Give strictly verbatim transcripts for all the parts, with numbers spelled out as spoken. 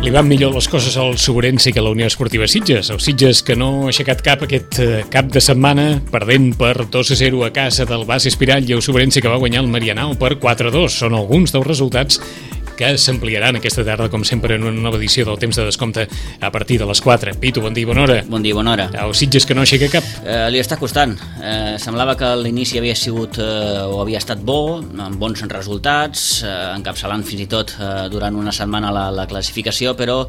li van millor les coses al Sobrense que a la Unió Esportiva Sitges. El Sitges que no ha aixecat cap aquest cap de setmana, perdent per dos a zero a casa del Bas Espirall, i el Sobrense que va guanyar el Marianao per quatre a dos. Són alguns dels resultats que s'ampliaran aquesta tarda, com sempre, en una nova edició del Temps de Descompte a partir de les quatre. Pitu, bon dia i bona hora. Bon dia i bona hora. El Sitges que no aixeca cap. Eh, li està costant. Eh, semblava que l'inici havia sigut eh, o havia estat bo, amb bons resultats, eh, encapçalant fins i tot eh, durant una setmana la, la classificació, però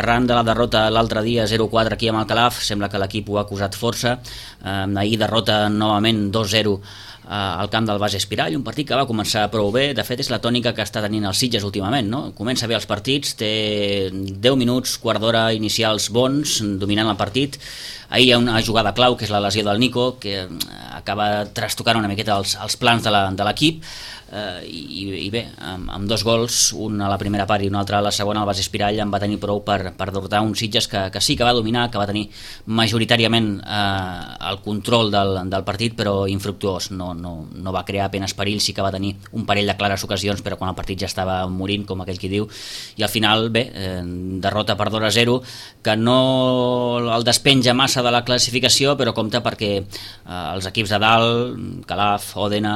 arran de la derrota l'altre dia zero a quatre aquí amb el Calaf, sembla que l'equip ho ha acusat força. Eh, ahir derrota novament dos a zero al camp del Bas Espirall, un partit que va començar prou bé. De fet, és la tònica que està tenint el Sitges últimament, no? Comença bé els partits, té deu minuts, quart d'hora inicials bons, dominant el partit. Ahir hi ha una jugada clau, que és la lesió del Nico, que acaba trastocant una miqueta els, els plans de l'equip, eh, i, i bé, amb, amb dos gols, un a la primera part i un altre a la segona, el Bas Espirall en va tenir prou per, per derrotar un Sitges que, que sí que va dominar, que va tenir majoritàriament eh, el control del, del partit, però infructuós. No, no, no va crear apenas perill, sí que va tenir un parell de clares ocasions, però quan el partit ja estava morint, com aquell qui diu, i al final, bé, eh, derrota per dos a zero, que no el despenja massa de la classificació, però compta perquè eh, els equips de dalt, Calaf, Òdena,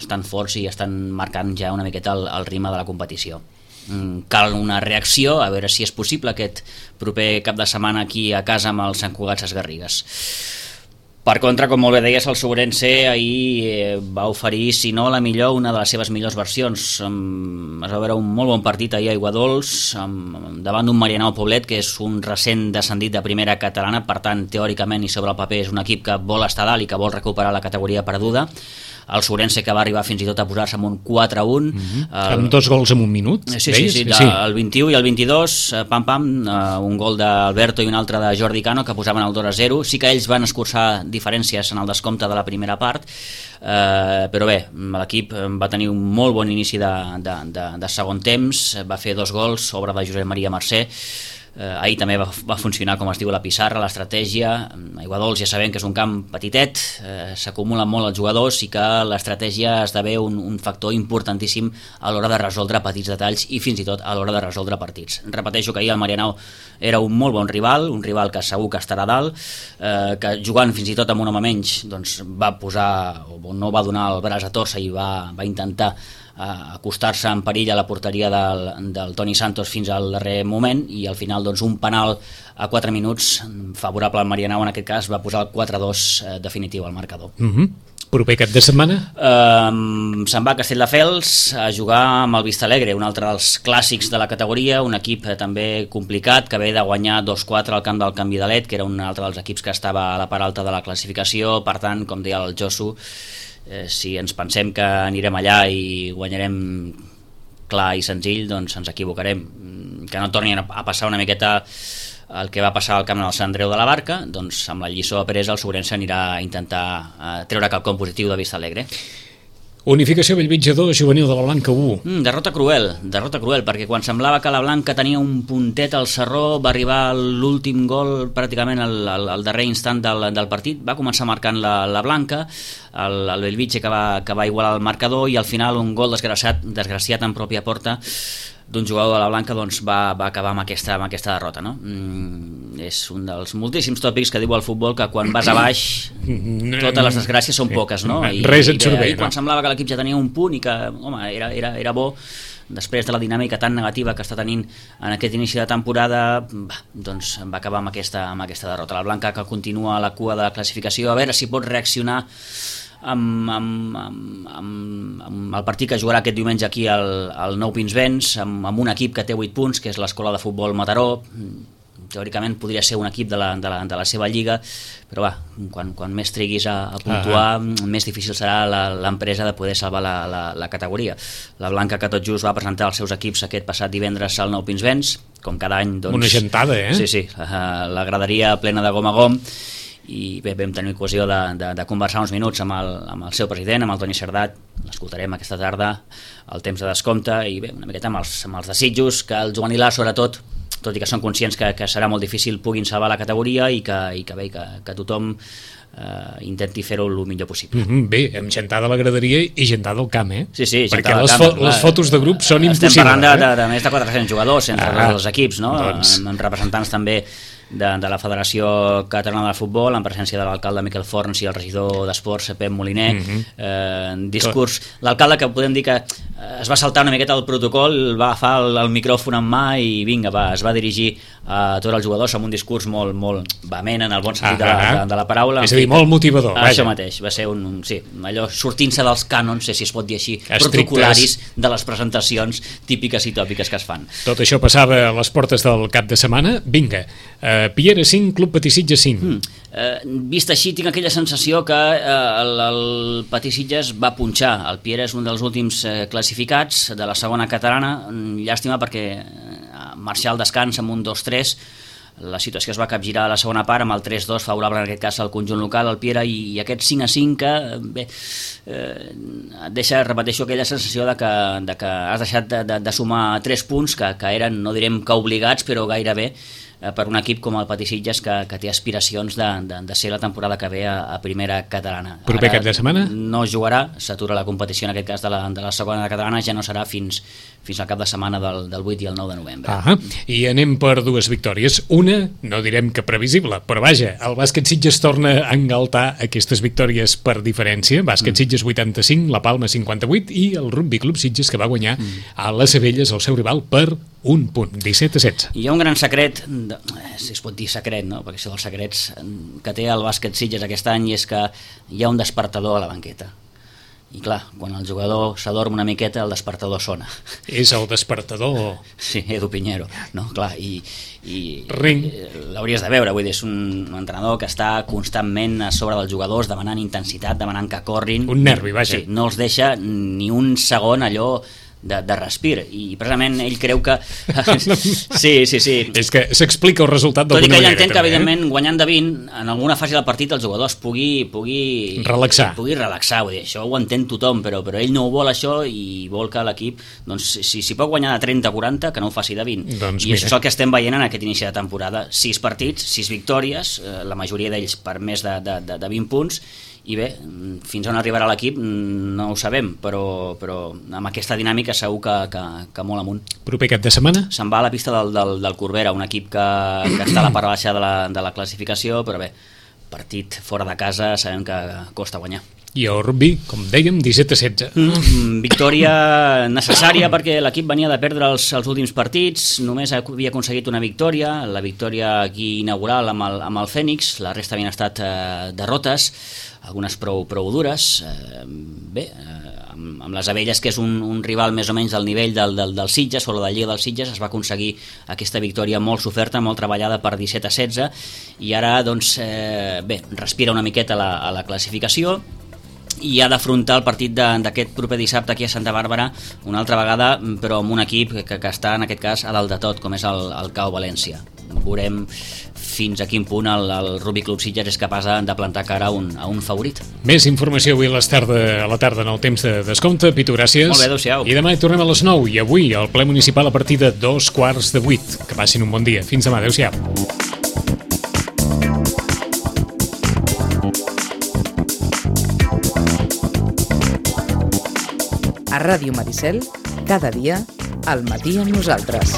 estan forts i estan marcant ja una miqueta el, el ritme de la competició. Cal una reacció, a veure si és possible aquest proper cap de setmana aquí a casa amb els Sant Cugat Sesgarrigues. Per contra, com molt bé deies, el Sobrense ahir va oferir, si no la millor, una de les seves millors versions. Es va veure un molt bon partit ahir a Aiguadols, davant d'un Marianao Poblet, que és un recent descendit de primera catalana, per tant, teòricament i sobre el paper és un equip que vol estar dalt i que vol recuperar la categoria perduda. El Sobrense que va arribar fins i tot a posar-se amb un quatre a un. Mm-hmm. el... Amb dos gols en un minut. Sí, sí, sí, de, sí, el vint-i-u i el vint-i-dos, pam, pam, un gol d'Alberto i un altre de Jordi Cano que posaven el dos a zero. Sí que ells van escurçar diferències en el descompte de la primera part, eh, però bé, l'equip va tenir un molt bon inici de, de, de, de segon temps, va fer dos gols, obra de Josep Maria Mercè. Eh, ahir també va, va funcionar, com es diu, la pissarra, l'estratègia. Aiguadols ja sabem que és un camp petitet, eh, s'acumulen molt els jugadors i que l'estratègia esdevé un, un factor importantíssim a l'hora de resoldre petits detalls i fins i tot a l'hora de resoldre partits. Repeteixo que ahir el Marianao era un molt bon rival, un rival que segur que estarà dalt, eh, que jugant fins i tot amb un home menys doncs va posar, o no va donar el braç a torça i va, va intentar acostar-se en perill a la porteria del, del Toni Santos fins al darrer moment, i al final doncs, un penal a quatre minuts favorable al Marianao, en aquest cas va posar el quatre a dos eh, definitiu al marcador. Mm-hmm. Proper cap de setmana? Uh, se'n va a Castelldefels a jugar amb el Vistalegre, un altre dels clàssics de la categoria, un equip eh, també complicat, que ve de guanyar dos quatre al camp del Can Vidalet, que era un altre dels equips que estava a la part alta de la classificació. Per tant, com deia el Josu, Eh, si ens pensem que anirem allà i guanyarem clar i senzill, doncs ens equivocarem. Que no torni a passar una miqueta el que va passar al camp del Sant Andreu de la Barca, doncs amb la lliçó apresa el Sobrense anirà a intentar eh, treure quelcom positiu de Vistalegre. Unificació Bellvitge dos, Juvenil de la Blanca u. Mm, derrota cruel, derrota cruel, perquè quan semblava que la Blanca tenia un puntet al sarró, va arribar l'últim gol pràcticament al, al, al darrer instant del, del partit, va començar marcant la, la Blanca, el, el Bellvitge que va, que va igualar el marcador, i al final un gol desgraciat, desgraciat en pròpia porta d'un jugador de la Blanca doncs va, va acabar amb aquesta, amb aquesta derrota, no? Mm, és un dels moltíssims tòpics que diu el futbol, que quan vas a baix totes les desgràcies són poques, no? I, res et surt bé, i quan no? Semblava que l'equip ja tenia un punt i que, home, era, era, era bo, després de la dinàmica tan negativa que està tenint en aquest inici de temporada, bah, doncs va acabar amb aquesta, amb aquesta derrota. La Blanca, que continua a la cua de la classificació, a veure si pot reaccionar Amb, amb, amb, amb, amb el partit que jugarà aquest diumenge aquí al, al Nou Pinsbens, amb, amb un equip que té vuit punts, que és l'Escola de Futbol Mataró. Teòricament podria ser un equip de la, de la, de la seva lliga, però va, quan, quan més triguis a, a puntuar, uh-huh. més difícil serà l'empresa de poder salvar la, la, la categoria. La Blanca, que tot just va presentar els seus equips aquest passat divendres al Nou Pinsbens, com cada any, doncs... Una gentada, eh? Sí, sí, la graderia plena de gom a gom, i bé, vam tenir ocasió de, de, de conversar uns minuts amb el, amb el seu president, amb el Toni Cerdat. L'escoltarem aquesta tarda al Temps de Descompte, i bé, una miqueta amb els, amb els desitjos que el juvenil A, sobretot, tot i que són conscients que, que serà molt difícil, puguin salvar la categoria i que, i que, bé, que, que tothom eh, intenti fer-ho el millor possible. Mm-hmm, bé, amb gentada a la graderia i gentada al camp, eh? Sí, sí, perquè les, fo les fotos de grup són impossibles. Estem parlant de, eh? de, de més de quatre-cents jugadors entre ah, els equips, no? Doncs... amb, amb representants també de, de la Federació Catalana de Futbol, en presència de l'alcalde Miquel Forns i el regidor d'Esports, Pep Moliner. Mm-hmm. eh, discurs, l'alcalde, que podem dir que es va saltar una miqueta el protocol, va agafar el, el micròfon en mà i vinga, va, es va dirigir a tots els jugadors amb un discurs molt, molt vehement en el bon sentit ah, de, la, de, de la paraula. És a dir, molt motivador. Això mateix, va ser un, un sí, allò sortint-se dels cànons, sé si es pot dir així, estrictes, protocolaris de les presentacions típiques i tòpiques que es fan. Tot això passava a les portes del cap de setmana. Vinga, uh, Piera cinc, Club Patí Sitges cinc. Mm. Uh, vist així, tinc aquella sensació que uh, el, el Patí Sitges va punxar. El Piera és un dels últims uh, classificats de la segona catalana. Llàstima perquè uh, marxar al descans amb un dos tres, la situació es va capgirar a la segona part amb el tres dos favorable en aquest cas al conjunt local, el Piera, i, i aquest cinc a cinc que bé, eh, et deixa, repeteixo, aquella sensació de que, de que has deixat de, de, de sumar tres punts que, que eren, no direm que obligats, però gairebé per un equip com el Patí Sitges que, que té aspiracions de, de, de ser la temporada que ve a, a primera catalana. Proper cap de setmana? No jugarà, s'atura la competició en aquest cas de la, de la segona catalana, ja no serà fins, fins al cap de setmana del, del vuit i el nou de novembre. Ah, i anem per dues victòries. Una, no direm que previsible, però vaja, el bàsquet Sitges torna a engaltar aquestes victòries per diferència. Bàsquet mm. Sitges vuitanta-cinc, la Palma cinquanta-vuit, i el Rugby Club Sitges, que va guanyar mm. a les Abelles, el seu rival, per un punt, disset a setze. Hi ha un gran secret, de, si es pot dir secret, no? Perquè això dels secrets que té el bàsquet Sitges aquest any és que hi ha un despertador a la banqueta. I clar, quan el jugador s'adorm una miqueta, el despertador sona. És el despertador? Sí, Edu Piñero, no? Clar, i, i Ring. L'hauries de veure, vull dir, és un entrenador que està constantment a sobre dels jugadors, demanant intensitat, demanant que corrin. Un nervi, vaja. Sí, no els deixa ni un segon allò de, de respir, i precisament ell creu que sí, sí, sí és que s'explica el resultat d'alguna manera. Tot i que ell entén també, que evidentment eh? guanyant de vint en alguna fase del partit els jugadors pugui, pugui relaxar, pugui relaxar vull dir, això ho entén tothom, però, però ell no ho vol això, i vol que l'equip doncs, si, si pot guanyar de trenta a quaranta, que no ho faci de vint, doncs i mira. això és el que estem veient en aquest inici de temporada. Sis partits, sis victòries, eh, la majoria d'ells per més de, de, de, de vint punts, i bé, fins on arribarà l'equip no ho sabem, però, però amb aquesta dinàmica segur que, que, que molt amunt. Proper cap de setmana? Se'n va a la pista del, del, del Corbera, un equip que, que està a la part baixa de la, de la classificació, però bé, partit fora de casa sabem que costa guanyar. I el rugby, com dèiem, disset a setze. Mm, victòria necessària perquè l'equip venia de perdre els, els últims partits, només havia aconseguit una victòria, la victòria aquí inaugural amb el, amb el Fènix, la resta havien estat eh, derrotes, algunes prou, prou dures. Eh, bé, eh, amb, amb les Abelles, que és un, un rival més o menys del nivell del, del, del Sitges, o la de Lliga del Sitges, es va aconseguir aquesta victòria molt soferta, molt treballada per disset a setze, i ara doncs, eh, bé, respira una miqueta la, a la classificació, i ha d'afrontar el partit d'aquest proper dissabte aquí a Santa Bàrbara una altra vegada, però amb un equip que, que està en aquest cas a dalt de tot, com és el, el C A U València. Veurem fins a quin punt el, el Rugby Club Sitges és capaç de plantar cara a un, a un favorit. Més informació avui a, les tarda, a la tarda en el temps de descompte. Pitu, gràcies. Molt bé, adéu-siau. I demà hi tornem a les nou, i avui al ple municipal a partir de dos quarts de vuit. Que passin un bon dia. Fins demà, adéu-siau. A Ràdio Maricel, cada dia, al matí amb nosaltres.